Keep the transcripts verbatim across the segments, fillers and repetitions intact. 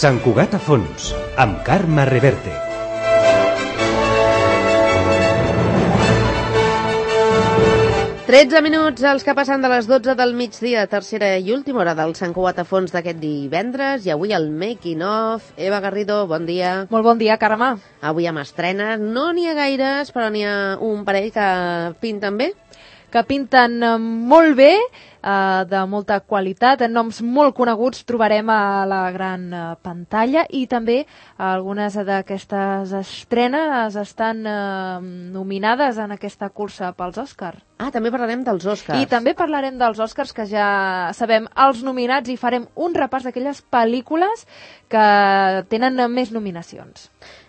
Sant Cugat a fons, amb Carme Reverte. tretze minuts els que passen de les dotze del migdia, tercera i última hora del Sant Cugat a fons d'aquest divendres, i avui el making of. Eva Garrido, bon dia. Molt bon dia, Carme. Avui amb estrenes, no n'hi ha gaires, però n'hi ha un parell que pinten bé. Que pinten molt bé, eh, de molta qualitat, noms molt coneguts trobarem a la gran eh, pantalla, i també algunes d'aquestes estrenes estan eh, nominades en aquesta cursa pels Òscars. Ah, també parlarem dels Òscars. I també parlarem dels Òscars, que ja sabem els nominats, i farem un repàs d'aquelles pel·lícules que tenen més nominacions.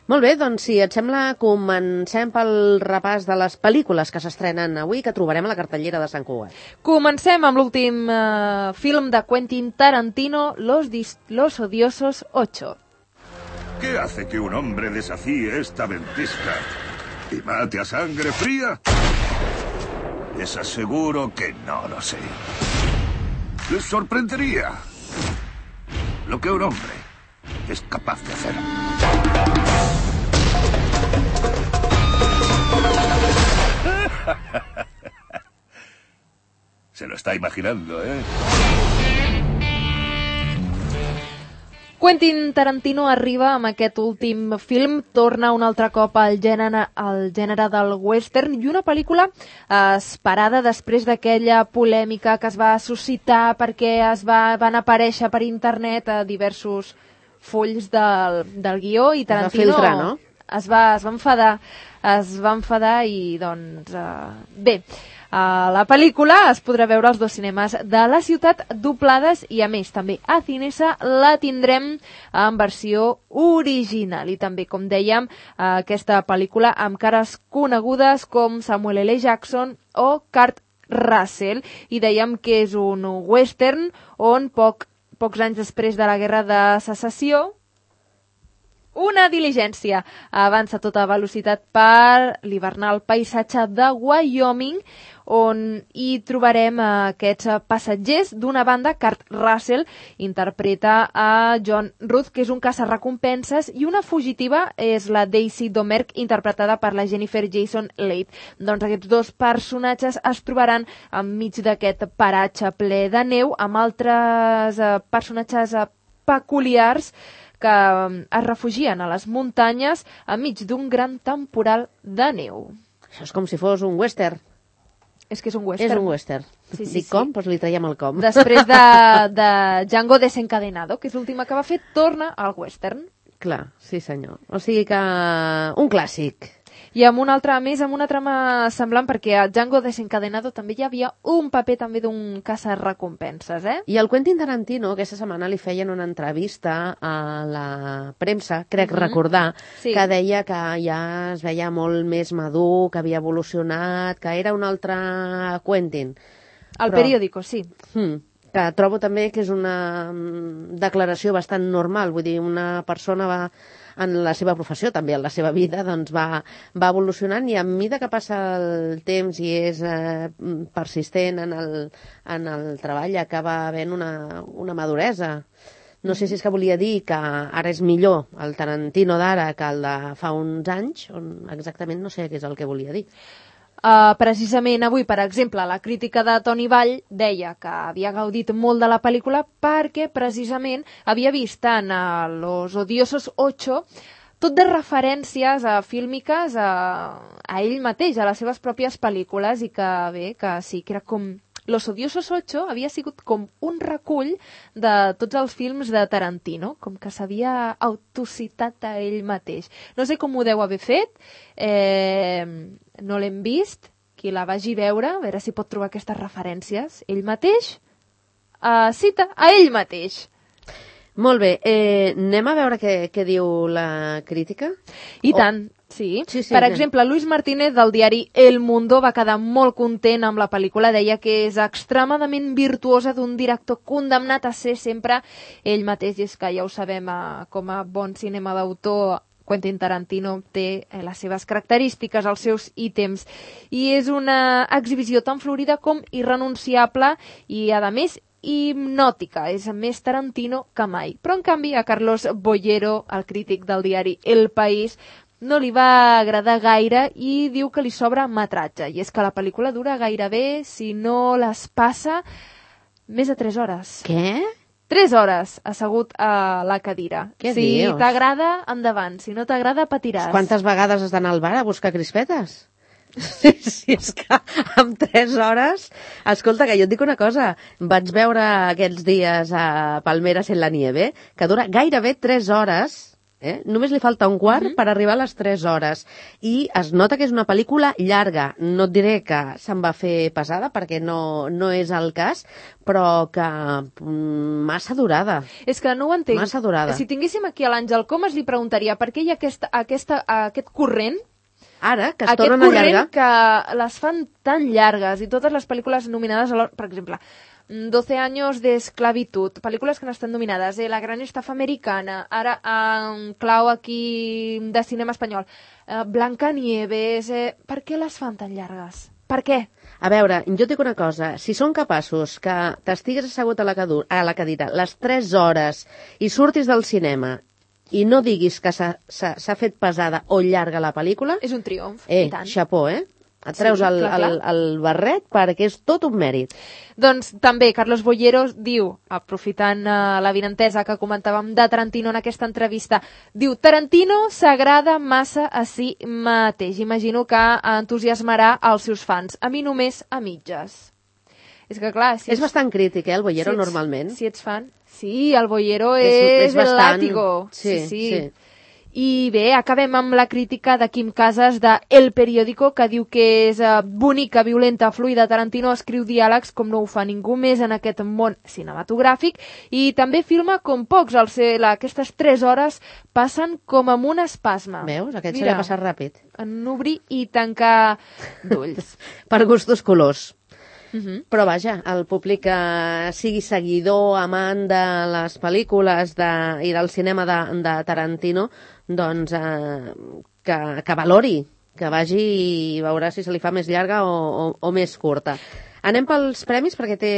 Molt bé, doncs si et sembla, comencem pel repàs de les pel·lícules que s'estrenen avui, que trobarem a la cartellera de Sant Cugat. Comencem amb l'últim eh, film de Quentin Tarantino, Los, Dis- Los Odiosos ocho. ¿Qué hace que un hombre desafíe esta ventisca y mate a sangre fría? Les aseguro que no lo sé. Les sorprendería lo que un hombre es capaz de hacer. Se lo está imaginando, ¿eh? Quentin Tarantino arriba amb aquest últim film, torna un altre cop al gènere, al gènere del western, i una pel·lícula eh, esperada després d'aquella polèmica que es va suscitar perquè es va, van aparèixer per internet a diversos fulls del, del guió, i Tarantino es va filtrar, no? es, va, es va enfadar, es va enfadar i doncs eh, bé. Uh, la pel·lícula es podrà veure als dos cinemes de la ciutat doblades, i a més també a Cinesa la tindrem en versió original. I també, com dèiem, uh, aquesta pel·lícula amb cares conegudes com Samuel L. Jackson o Kurt Russell, i dèiem que és un western on poc, pocs anys després de la Guerra de Secessió una diligència avança a tota velocitat per l'hivernal paisatge de Wyoming, on hi trobarem aquests passatgers. D'una banda, Kurt Russell interpreta a John Ruth, que és un caçarrecompenses, i una fugitiva és la Daisy Domergue, interpretada per la Jennifer Jason Leigh. Doncs aquests dos personatges es trobaran enmig d'aquest paratge ple de neu, amb altres eh, personatges eh, peculiars que es refugien a les muntanyes enmig d'un gran temporal de neu. Això és com si fos un western. És que és un western. És un western. Sí, sí, Dic sí. com? Doncs li traiem el com. Després de, de Django Desencadenado, que és l'última que va fer, torna al western. Clar, sí senyor. O sigui que un clàssic. I amb una altra, a més, amb una trama semblant, perquè a Django Desencadenado també hi havia un paper també d'un caçarrecompenses, eh? I al Quentin Tarantino aquesta setmana li feien una entrevista a la premsa, crec Mhm. recordar, Sí. que deia que ja es veia molt més madur, que havia evolucionat, que era un altre Quentin. Al Però- periòdico, sí. Hmm. Que trobo també que és una mm, declaració bastant normal, vull dir, una persona va en la seva professió, també en la seva vida, doncs va, va evolucionant, i a mesura que passa el temps i és eh, persistent en el, en el treball, acaba havent una, una maduresa. No sé si és que volia dir que ara és millor el Tarantino d'ara que el de fa uns anys, on exactament no sé què és el que volia dir. Uh, precisament avui, per exemple, la crítica de Toni Vall deia que havia gaudit molt de la pel·lícula perquè precisament havia vist en uh, Los Odiosos ocho tot de referències uh, fílmiques a, a ell mateix, a les seves pròpies pel·lícules, i que bé, que sí, que era com... Los Odiosos ocho havia sigut com un recull de tots els films de Tarantino, com que s'havia autocitat a ell mateix. No sé com ho deu haver fet, eh, no l'hem vist, qui la vagi veure, a veure si pot trobar aquestes referències. Ell mateix eh, cita a ell mateix. Molt bé, eh, anem a veure què, què diu la crítica? I O- tant, sí. Sí, sí, per anem. exemple, Luis Martínez del diari El Mundo va quedar molt content amb la pel·lícula, deia que és extremadament virtuosa, d'un director condemnat a ser sempre ell mateix, i és que ja ho sabem, eh, com a bon cinema d'autor, Quentin Tarantino té eh, les seves característiques, els seus ítems, i és una exhibició tan florida com irrenunciable, i a més hipnòtica, és més Tarantino que mai. Però, en canvi, a Carlos Bollero, el crític del diari El País, no li va agradar gaire i diu que li sobra metratge. I és que la pel·lícula dura gairebé, si no les passa, més de tres hores. Què? Tres hores assegut a la cadira. Què si dius? t'agrada, endavant. Si no t'agrada, patiràs. Quantes vegades has d'anar al bar a buscar crispetes? Sí, sí, és que amb tres hores... Escolta, que jo et dic una cosa. Vaig veure aquests dies a Palmeras en la Nieve, que dura gairebé tres hores... Eh? Només li falta un quart mm-hmm. per arribar a les tres hores. I es nota que és una pel·lícula llarga. No et diré que se'n va fer pesada, perquè no, no és el cas, però que mm, massa durada. És que no ho entenc. Massa durada. Si tinguéssim aquí a l'Àngel Comas, li preguntaria per què hi ha aquesta, aquesta, aquest corrent Ara, que es tornen a llargar. Aquest corrent que les fan tan llargues i totes les pel·lícules nominades, a per exemple... doce años de esclavitud, pel·lícules que no estan dominades, eh? La gran estafa americana, ara en clau aquí de cinema espanyol, eh, Blancanieves, eh? Per què les fan tan llargues? Per què? A veure, jo et dic una cosa, si són capaços que t'estigues assegut a la, cadu- a la cadira les tres hores i surtis del cinema i no diguis que s'ha, s'ha, s'ha fet pesada o llarga la pel·lícula... És un triomf, eh, i tant. Xapó, eh? Et treus Sí, el, clar, clar. el, el barret perquè és tot un mèrit. Doncs també Carlos Bollero diu, aprofitant uh, la vinentesa que comentàvem de Tarantino en aquesta entrevista, diu, Tarantino s'agrada massa a si mateix. Imagino que entusiasmarà els seus fans. A mi només a mitges. És que clar... Si és bastant crític, eh, el Bollero, si ets, normalment. Si ets fan... Sí, el Bollero és, és, és bastant... el látigo. Sí, sí. sí. I bé, acabem amb la crítica de Quim Casas de El Periódico, que diu que és uh, bonica, violenta, fluida. Tarantino escriu diàlegs com no ho fa ningú més en aquest món cinematogràfic i també filma com pocs. El ser, la, aquestes tres hores passen com amb un espasme. Veus? Aquest se l'ha passat ràpid. En obrir i tancar d'ulls. Per gustos colors. Uh-huh. Però vaja, el públic que sigui seguidor, amant de les pel·lícules de, i del cinema de, de Tarantino, doncs eh, que, que valori, que vagi i veurà si se li fa més llarga o, o, o més curta. Anem pels premis, perquè té,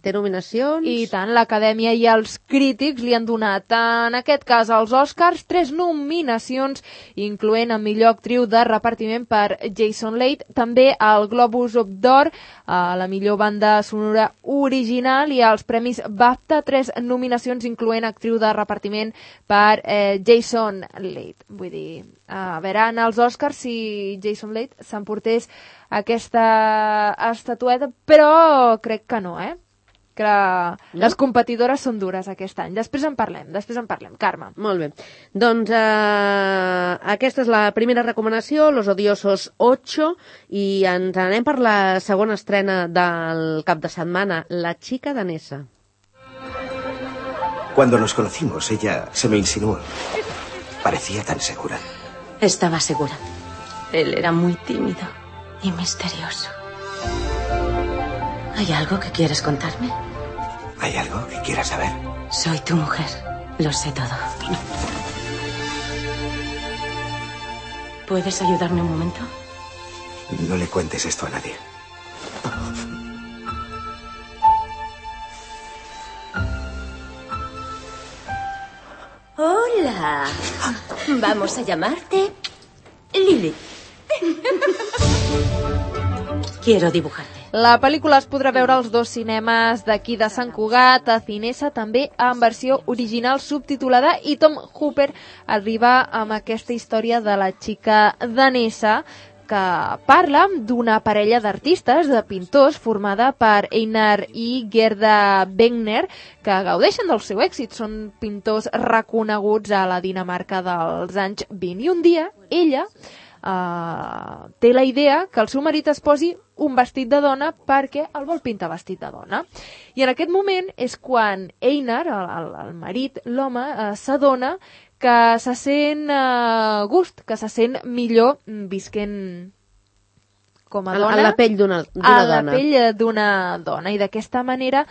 té nominacions. I tant, l'Acadèmia i els crítics li han donat, en aquest cas, als Oscars, tres nominacions, incloent a millor actriu de repartiment per Jason Leigh, també al Globus d'Or, a la millor banda sonora original, i als premis BAFTA, tres nominacions, incloent actriu de repartiment per eh, Jason Leigh. Vull dir, a veure, en els Oscars, si Jason Leigh s'emportés aquesta estatueta, però crec que no, eh? Que no? Les competidores són dures aquest any. Després en parlem, després en parlem. Carme. Molt bé. Doncs eh, aquesta és la primera recomanació, Los Odiosos ocho, i ens anem per la segona estrena del cap de setmana, La chica danesa. Cuando nos conocimos, ella se me insinuó. Parecía tan segura. Estaba segura. Él era muy tímido y misterioso. ¿Hay algo que quieres contarme? ¿Hay algo que quieras saber? Soy tu mujer. Lo sé todo. ¿Puedes ayudarme un momento? No le cuentes esto a nadie. Hola. Vamos a llamarte Lily. Quiero dibujarte. La pel·lícula es podrà veure als dos cinemes d'aquí de Sant Cugat, a Cinesa, també en versió original subtitulada, i Tom Hooper arriba amb aquesta història de la xica danesa, que parla d'una parella d'artistes, de pintors, formada per Einar i Gerda Wegner, que gaudeixen del seu èxit. Són pintors reconeguts a la Dinamarca dels anys vint. I un dia, ella Uh, té la idea que el seu marit es posi un vestit de dona perquè el vol pintar vestit de dona. I en aquest moment és quan Einar, el, el, el marit, l'home, uh, s'adona que se sent uh, gust, que se sent millor visquent com a dona. A la pell d'una dona. A la pell d'una dona. I d'aquesta manera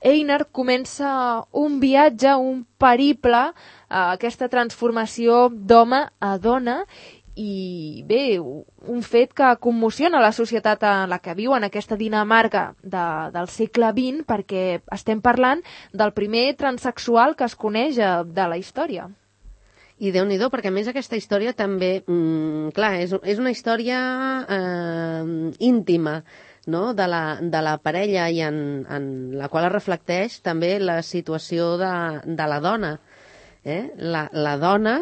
Einar comença un viatge, un periple, uh, aquesta transformació d'home a dona, i bé, un fet que commociona la societat en la que viu, en aquesta Dinamarca de, del segle vint, perquè estem parlant del primer transsexual que es coneix de la història. I Déu-n'hi-do, perquè a més aquesta història també, mmm, clar, és, és una història eh, íntima, no? de, la, de la parella i en, en la qual es reflecteix també la situació de, de la dona. Eh? La, la dona,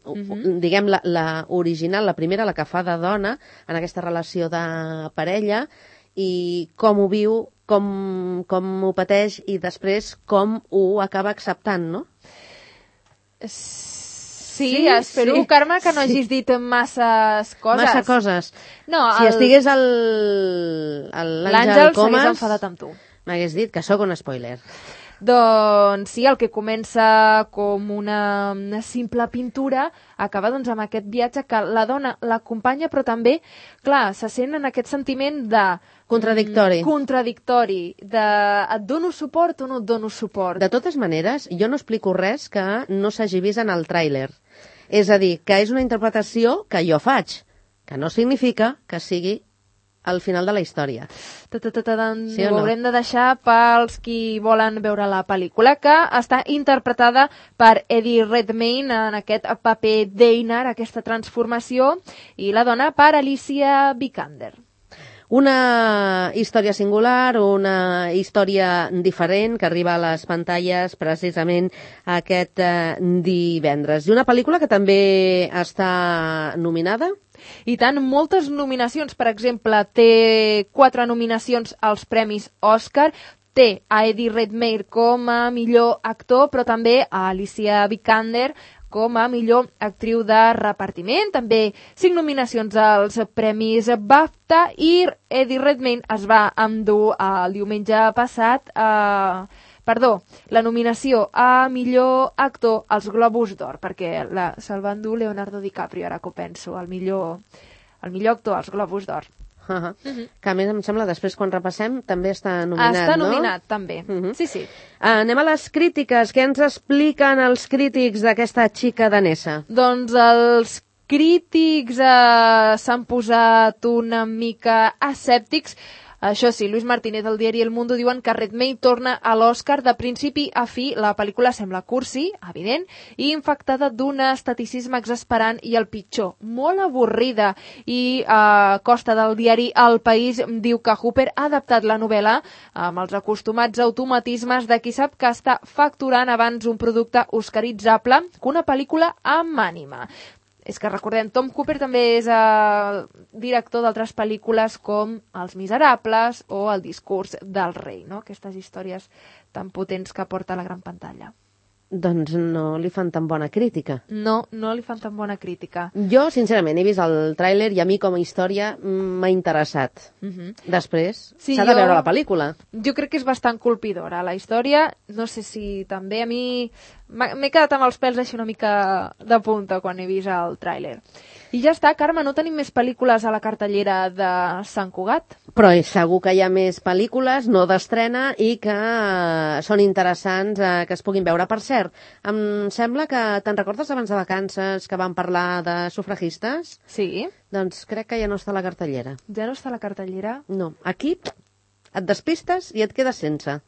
uh-huh. diguem, la, la original, la primera, la que fa de dona en aquesta relació de parella i com ho viu, com, com ho pateix i després com ho acaba acceptant, no? Sí, sí, espero, sí, Carme, que no sí. hagis dit masses coses. Massa coses. No, si el... estigués l'Àngel L'Àngel Comas... s'hagués enfadat amb tu. M'hagués dit que sóc un spoiler. Doncs sí, el que comença com una, una simple pintura acaba doncs amb aquest viatge que la dona l'acompanya, però també, clar, se sent en aquest sentiment de... Contradictori. Mm, contradictori, de et dono suport o no et dono suport. De totes maneres, jo no explico res que no s'hagi vist en el tràiler. És a dir, que és una interpretació que jo faig, que no significa que sigui al final de la història. Sí o no? Ho haurem de deixar pels qui volen veure la pel·lícula, que està interpretada per Eddie Redmayne en aquest paper d'Einar, aquesta transformació, i la dona per Alicia Vikander. Una història singular, una història diferent que arriba a les pantalles precisament aquest eh, divendres. I una pel·lícula que també està nominada? I tant, moltes nominacions. Per exemple, té quatre nominacions als Premis Òscar, té a Eddie Redmayne com a millor actor, però també a Alicia Vikander com a millor actriu de repartiment. També cinc nominacions als Premis BAFTA i Eddie Redmayne es va endur el diumenge passat a... Perdó, la nominació a millor actor als Globus d'Or, perquè la, se'l va endur Leonardo DiCaprio, ara que ho penso, el millor, el millor actor als Globus d'Or. Uh-huh. Uh-huh. Que a més em sembla, després quan repassem, també està nominat, està no? Està nominat, també. Uh-huh. Sí, sí. Uh, anem a les crítiques. Què ens expliquen els crítics d'aquesta xica danesa? Doncs els crítics eh, s'han posat una mica escèptics. Això sí, Luis Martínez del diari El Mundo diuen que Redmayne torna a l'Oscar de principi a fi. La pel·lícula sembla cursi, evident, i infectada d'un esteticisme exasperant i el pitjor, molt avorrida. I a costa del diari El País diu que Hooper ha adaptat la novel·la amb els acostumats automatismes de qui sap que està facturant abans un producte oscaritzable que una pel·lícula amb ànima. És que recordem, Tom Hooper també és el director d'altres pel·lícules com Els Miserables o El discurs del rei, no? Aquestes històries tan potents que porta a la gran pantalla. Doncs no li fan tan bona crítica. No, no li fan tan bona crítica. Jo, sincerament, he vist el tràiler i a mi com a història m'ha interessat. Uh-huh. Després, sí, s'ha de jo... veure la pel·lícula. Jo crec que és bastant colpidora. La història, no sé si també a mi... M'he quedat amb els pèls així una mica de punta quan he vist el tràiler. I ja està, Carme, no tenim més pel·lícules a la cartellera de Sant Cugat? Però segur que hi ha més pel·lícules, no d'estrena, i que són interessants eh, que es puguin veure. Per cert, em sembla que te'n recordes abans de vacances que vam parlar de sufragistes? Sí. Doncs crec que ja no està a la cartellera. Ja no està a la cartellera? No. Aquí et despistes i et quedes sense.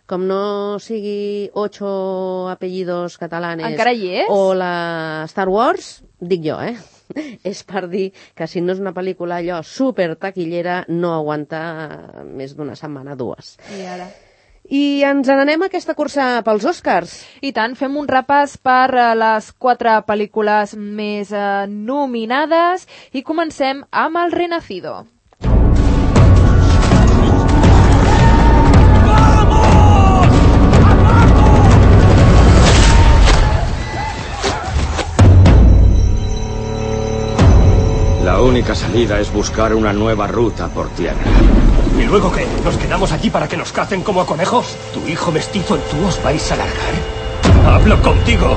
Com no sigui ocho apellidos catalanes... Encara hi és? O la Star Wars, dic jo, eh? És per dir que si no és una pel·lícula allò super taquillera, no aguanta més d'una setmana, dues. I ara? I ens n'anem a aquesta cursa pels Oscars. I tant, fem un repàs per les quatre pel·lícules més eh, nominades i comencem amb El Renacido. La única salida es buscar una nueva ruta por tierra. ¿Y luego qué? ¿Nos quedamos aquí para que nos cacen como a conejos? ¿Tu hijo mestizo y tú os vais a largar? ¡Hablo contigo!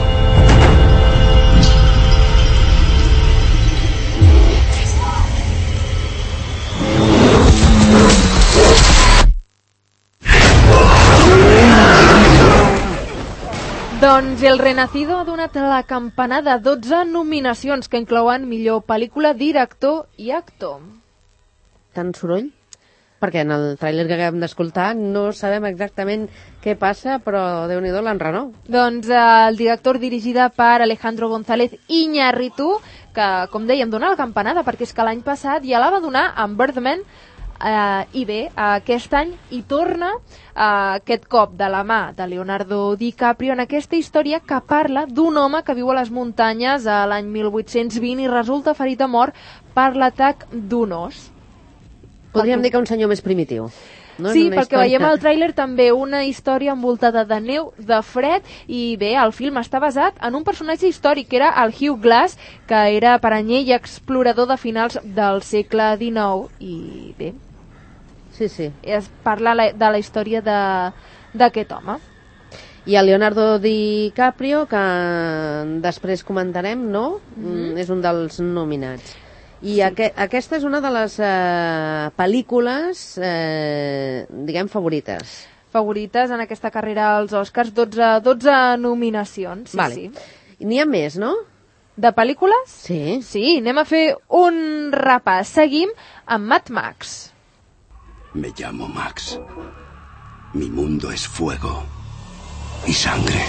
Doncs El Renacido ha donat la campanada de dotze nominacions que inclouen millor pel·lícula, director i actor. Tant soroll? Perquè en el tràiler que acabem d'escoltar no sabem exactament què passa, però Déu-n'hi-do l'enrenou. Doncs eh, el director, dirigida per Alejandro González Iñárritu, que, com dèiem, dona la campanada, perquè és que l'any passat ja la va donar amb Birdman, eh, i bé, aquest any hi torna eh, aquest cop de la mà de Leonardo DiCaprio en aquesta història que parla d'un home que viu a les muntanyes a l'any mil vuit-cents vint i resulta ferit a mort per l'atac d'un os. Podríem dir que un senyor més primitiu. No? Sí, perquè història... veiem al tràiler també una història envoltada de neu, de fred, i bé, el film està basat en un personatge històric, que era el Hugh Glass, que era paranyer i explorador de finals del segle dinou, i bé, sí, sí. es parla de la història d'aquest home. I el Leonardo DiCaprio, que després comentarem, no? Mm-hmm. És un dels nominats. I sí. aqu aquesta és una de les eh, pel·lícules, eh, diguem, favorites. Favorites en aquesta carrera als Oscars, dotze, dotze nominacions. Sí, vale. Sí. N'hi ha més, no? De pel·lícules? Sí. Sí, anem a fer un repàs. Seguim amb Mad Max. Me llamo Max. Mi mundo es fuego y sangre.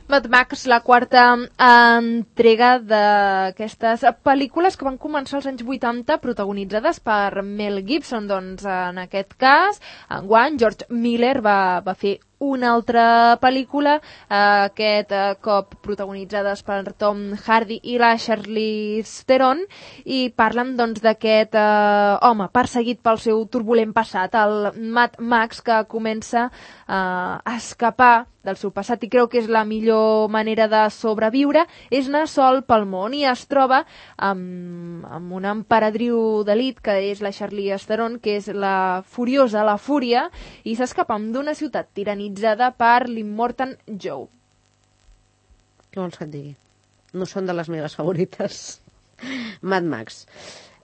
Mad Max, la quarta entrega d'aquestes pel·lícules que van començar als anys vuitanta, protagonitzades per Mel Gibson. Doncs en aquest cas, enguany, George Miller va, va fer una altra pel·lícula, eh, aquest eh, cop protagonitzades per Tom Hardy i la Charlize Theron, i parlen doncs d'aquest eh, home perseguit pel seu turbulent passat, el Mad Max, que comença eh, a escapar del seu passat i creu que és la millor manera de sobreviure, és anar sol pel món, i es troba amb, amb una emperadriu d'elit, que és la Charlize Theron, que és la furiosa, la fúria, i s'escapa d'una ciutat tiranitzada per l'Immortan Joe. Què vols que et digui? No són de les meves favorites. Mad Max.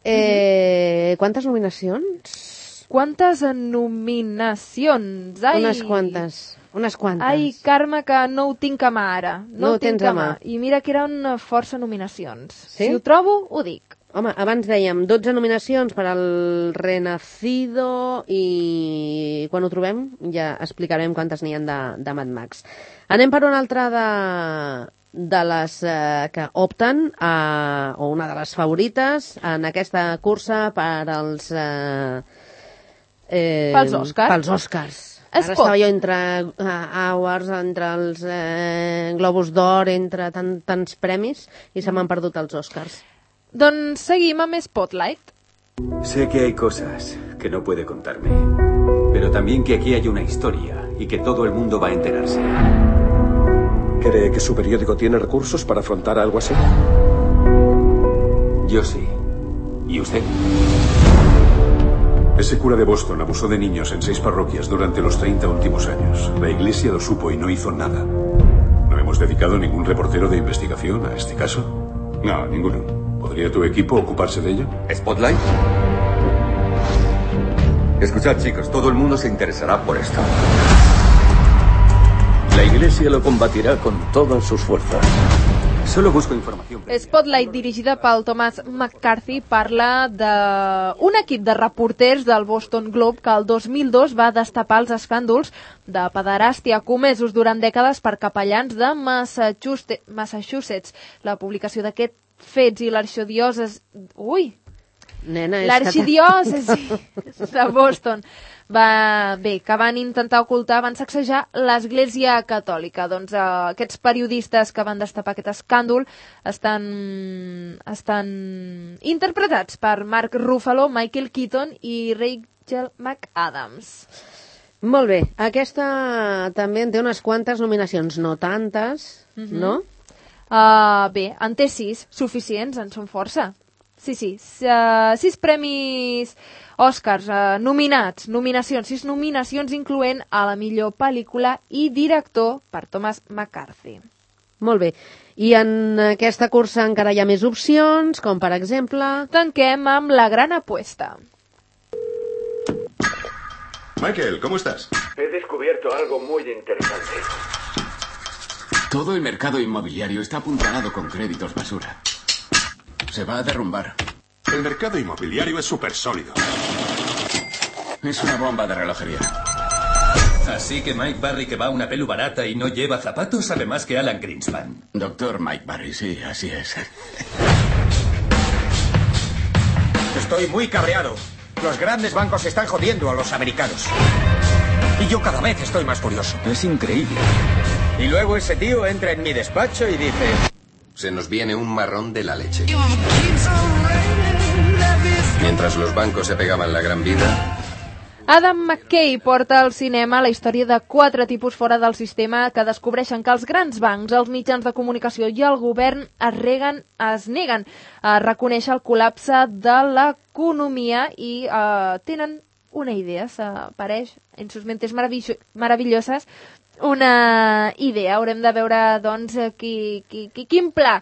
Eh, quantes nominacions? Quantes nominacions? Ai, unes quantes. Unes quantes. Ai, Carme, que no ho tinc a mà ara. No, no ho tinc tens a mà. I mira que eren força nominacions. Sí? Si ho trobo, ho dic. Home, abans dèiem dotze nominacions per al Renacido, i quan ho trobem ja explicarem quantes n'hi ha de, de Mad Max. Anem per una altra de, de les eh, que opten a, o una de les favorites en aquesta cursa per als eh, eh, pels Oscars. Pels Oscars. Es Ara pot. estava jo entre uh, Awards, entre els eh, Globus d'Or, entre tan, tants premis, i se m'han perdut els Oscars. Doncs seguim amb Spotlight. Sé que hay cosas que no puede contarme, pero también que aquí hay una historia y que todo el mundo va a enterarse. ¿Cree que su periódico tiene recursos para afrontar algo así? Yo sí. ¿Y usted? Ese cura de Boston abusó de niños en seis parroquias durante los treinta últimos años. La iglesia lo supo y no hizo nada. ¿No hemos dedicado ningún reportero de investigación a este caso? No, ninguno. ¿Podría tu equipo ocuparse de ello? ¿Spotlight? Escuchad, chicos, todo el mundo se interesará por esto. La iglesia lo combatirá con todas sus fuerzas. Solo busco información. Spotlight, dirigida pel Thomas McCarthy, parla d'un equip de reporters del Boston Globe que el dos mil dos va destapar els escàndols de pederàstia comesos durant dècades per capellans de Massachusetts. La publicació d'aquests fets i l'arxidiòcesi... Ui! Nena, L'arxidiòcesi de Boston va, bé, que van intentar ocultar, van sacsejar l'Església Catòlica. Doncs eh, aquests periodistes que van destapar aquest escàndol estan, estan interpretats per Mark Ruffalo, Michael Keaton i Rachel McAdams. Molt bé, aquesta també en té unes quantes nominacions, no tantes, mm-hmm. no? Uh, bé, en té sis, suficients, en són força. Sí, sí, uh, sis premis Oscars uh, nominats, nominacions, sis nominacions incloent a la millor pel·lícula i director per Thomas McCarthy. Molt bé. I en aquesta cursa encara hi ha més opcions, com per exemple... Tanquem amb La gran apuesta. Michael, ¿cómo estás? He descubierto algo muy interesante. Todo el mercado inmobiliario está apuntalado con créditos basura. Se va a derrumbar. El mercado inmobiliario es súper sólido. Es una bomba de relojería. Así que Mike Barry, que va a una pelu barata y no lleva zapatos, sabe más que Alan Greenspan. Doctor Mike Barry, sí, así es. Estoy muy cabreado. Los grandes bancos están jodiendo a los americanos. Y yo cada vez estoy más furioso. Es increíble. Y luego ese tío entra en mi despacho y dice... Se nos viene un marrón de la leche. Mientras los bancos se pegaban la gran vida... Adam McKay porta al cinema la història de quatre tipus fora del sistema que descobreixen que els grans bancs, els mitjans de comunicació i el govern es, reguen, es neguen a reconèixer el col·lapse de l'economia i eh, tenen una idea, s'apareix en sus mentes meravelloses, una idea. Haurem de veure, doncs, qui, qui, qui, quin pla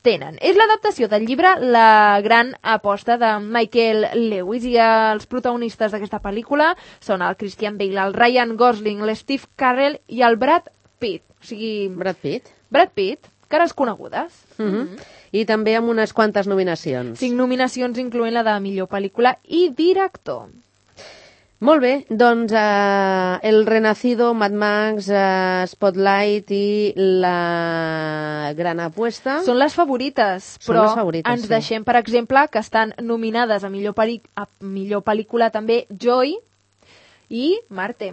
tenen. És l'adaptació del llibre La gran aposta de Michael Lewis i els protagonistes d'aquesta pel·lícula són el Christian Bale, el Ryan Gosling, l'Steve Carell i el Brad Pitt. O sigui... Brad Pitt? Brad Pitt, cares conegudes. Mm-hmm. Mm-hmm. I també amb unes quantes nominacions. Cinc nominacions, incloent la de millor pel·lícula i director. Molt bé, doncs eh, El Renacido, Mad Max, eh, Spotlight i La gran apuesta... Són les favorites, Són però les favorites, ens sí. deixem, per exemple, que estan nominades a millor, peli- a millor pel·lícula també Joy i Marte.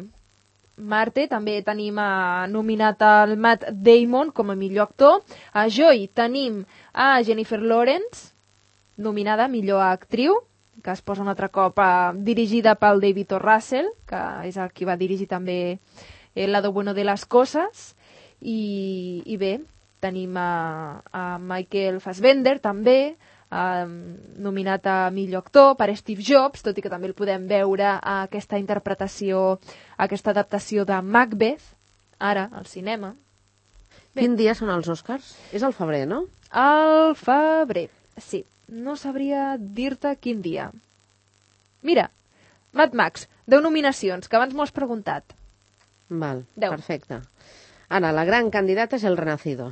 Marte també tenim eh, nominat el Matt Damon com a millor actor. A Joy tenim a Jennifer Lawrence, nominada a millor actriu, que es posa un altre cop eh, dirigida pel David O. Russell, que és el qui va dirigir també El lado bueno de las cosas, i, i bé, tenim a, a Michael Fassbender també, eh, nominat a millor actor per Steve Jobs, tot i que també el podem veure a aquesta interpretació, a aquesta adaptació de Macbeth, ara, al cinema. Bé. Quin dia són els Oscars? És al febrer, no? Al febrer, sí. No sabria dir-te quin dia. Mira, Mad Max, deu nominacions, que abans m'ho has preguntat. Val, deu. Perfecte. Ara, la gran candidata és El Renacido.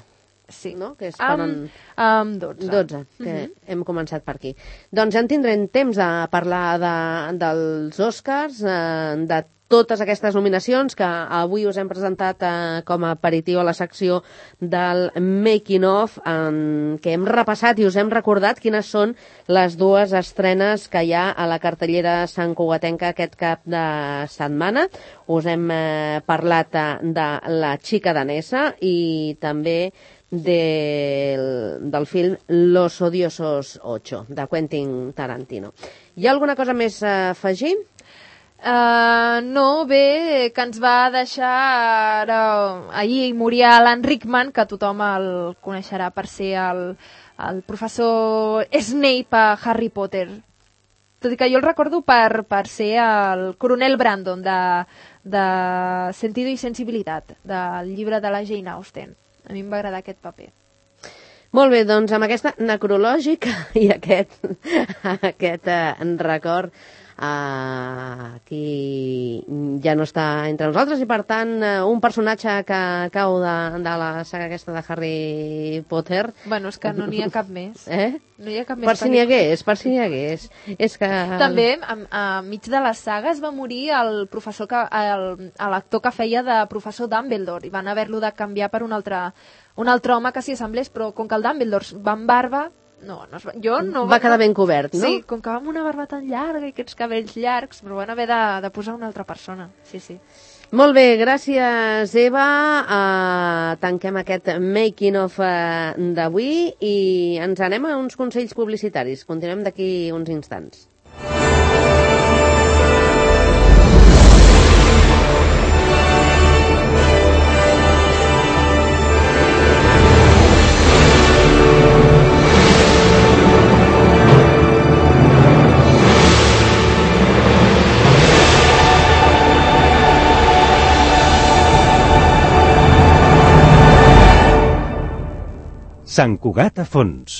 Sí. No? Que és amb, en... amb dotze. dotze, que uh-huh. hem començat per aquí. Doncs ja en tindrem temps de parlar de, dels Oscars, eh, de totes aquestes nominacions que avui us hem presentat eh, com a aperitiu a la secció del Making of, en què hem repassat i us hem recordat quines són les dues estrenes que hi ha a la cartellera santcugatenca aquest cap de setmana. Us hem eh, parlat eh, de La xica danesa i també del, del film Los odiosos ocho, de Quentin Tarantino. Hi ha alguna cosa més a afegir? Uh, no, bé, que ens va deixar ara, ahir moria Alan Rickman, que tothom el coneixerà per ser el, el professor Snape a Harry Potter. Tot i que jo el recordo per, per ser el coronel Brandon de, de Sentido i Sensibilitat, del llibre de la Jane Austen. A mi em va agradar aquest paper. Molt bé, doncs amb aquesta necrològica i aquest, aquest eh, record Uh, qui ja no està entre nosaltres i per tant uh, un personatge que cau de, de la saga aquesta de Harry Potter. Bueno, és que no n'hi ha cap més. Eh? No hi ha cap més. Per si n'hi hagués, per si n'hi hagués. És que... També, a, a mig de les sagues va morir el professor que, el, l'actor que feia de professor Dumbledore i van haver-lo de canviar per un altre, un altre home que s'hi assemblés, però com que el Dumbledore va amb barba, No, no, jo no... Va quedar ben cobert, no? Sí, com que va amb una barba tan llarga i aquests cabells llargs, però van haver de, de posar una altra persona. Sí, sí. Molt bé, gràcies, Eva. Uh, tanquem aquest making of uh, d'avui i ens anem a uns consells publicitaris. Continuem d'aquí uns instants. Sant Cugat a fons.